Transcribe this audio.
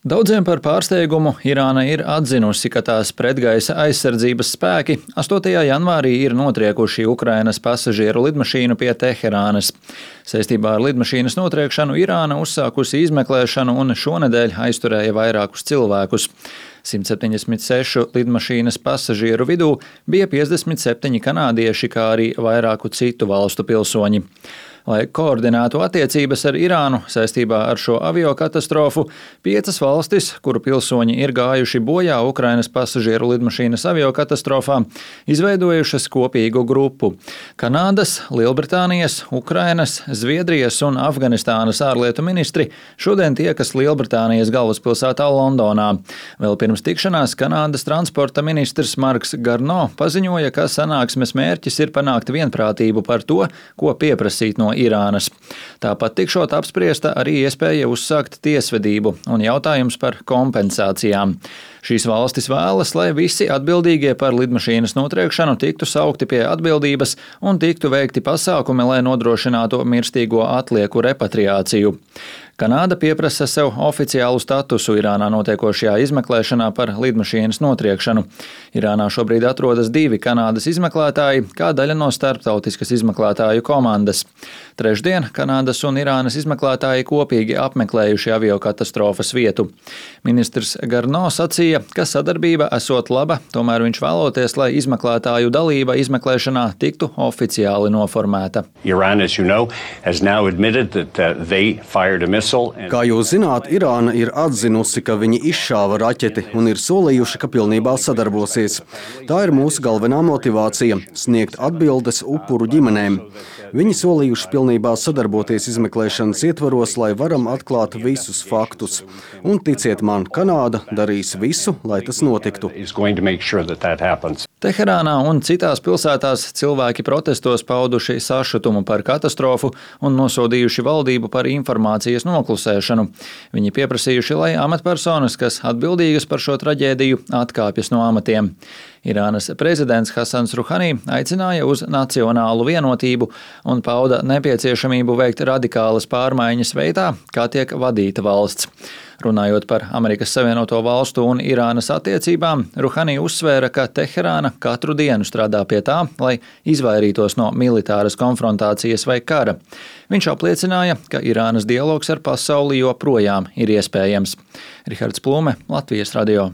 Daudziem par pārsteigumu Irāna ir atzinusi, ka tās pretgaisa aizsardzības spēki 8. janvārī ir notriekuši Ukrainas pasažieru lidmašīnu pie Teherānas. Saistībā ar lidmašīnas notriekšanu Irāna uzsākusi izmeklēšanu un šonedēļ aizturēja vairākus cilvēkus. 176 lidmašīnas pasažieru vidū bija 57 kanādieši, kā arī vairāku citu valstu pilsoņi. Lai koordinētu attiecības ar Irānu saistībā ar šo aviokatastrofu, 5 valstis, kuru pilsoņi ir gājuši bojā Ukrainas pasažieru lidmašīnas aviokatastrofā, izveidojušas kopīgu grupu. Kanādas, Lielbritānijas, Ukrainas, Zviedrijas un Afganistānas ārlietu ministri šodien tiekas Lielbritānijas galvaspilsētā Londonā. Vēl pirms tikšanās Kanādas transporta ministrs Marks Garno paziņoja, ka sanāksmes mērķis ir panākt vienprātību par to, ko pieprasīt no Irānas. Tāpat tikšot apspriesta arī iespēja uzsākt tiesvedību un jautājums par kompensācijām. Šīs valstis vēlas, lai visi atbildīgie par lidmašīnas notriekšanu tiktu saukti pie atbildības un tiktu veikti pasākumi, lai nodrošinātu mirstīgo atlieku repatriāciju. Kanāda pieprasa sev oficiālu statusu Irānā notiekošajā izmeklēšanā par lidmašīnas notriekšanu. Irānā šobrīd atrodas 2 Kanādas izmeklētāji, kā daļa no starptautiskas izmeklētāju komandas. Trešdien Kanādas un Irānas izmeklētāji kopīgi apmeklējuši aviokatastrofas vietu. Ministrs Garno sacīja, ka sadarbība esot laba, tomēr viņš vēloties, lai izmeklētāju dalība izmeklēšanā tiktu oficiāli noformēta. Kā jūs zināt, Irāna ir atzinusi, ka viņi izšāva raķeti un ir solījuši, ka pilnībā sadarbosies. Tā ir mūsu galvenā motivācija – sniegt atbildes upuru ģimenēm. Viņi solījuši pilnībā sadarboties izmeklēšanas ietvaros, lai varam atklāt visus faktus. Un ticiet man, Kanāda darīs visu, lai tas notiktu. Teherānā un citās pilsētās cilvēki protestos pauduši sašutumu par katastrofu un nosodījuši valdību par informācijas noklusēšanu. Viņi pieprasījuši, lai amatpersonas, kas atbildīgas par šo traģēdiju, atkāpjas no amatiem. Irānas prezidents Hasans Ruhani aicināja uz nacionālu vienotību un pauda nepieciešamību veikt radikālas pārmaiņas veidā, kā tiek vadīta valsts. Runājot par Amerikas Savienoto Valstu un Irānas attiecībām, Ruhani uzsvēra, ka Teherāna katru dienu strādā pie tā, lai izvairītos no militāras konfrontācijas vai kara. Viņš apliecināja, ka Irānas dialogs ar pasauli joprojām ir iespējams. Rihards Plume, Latvijas radio.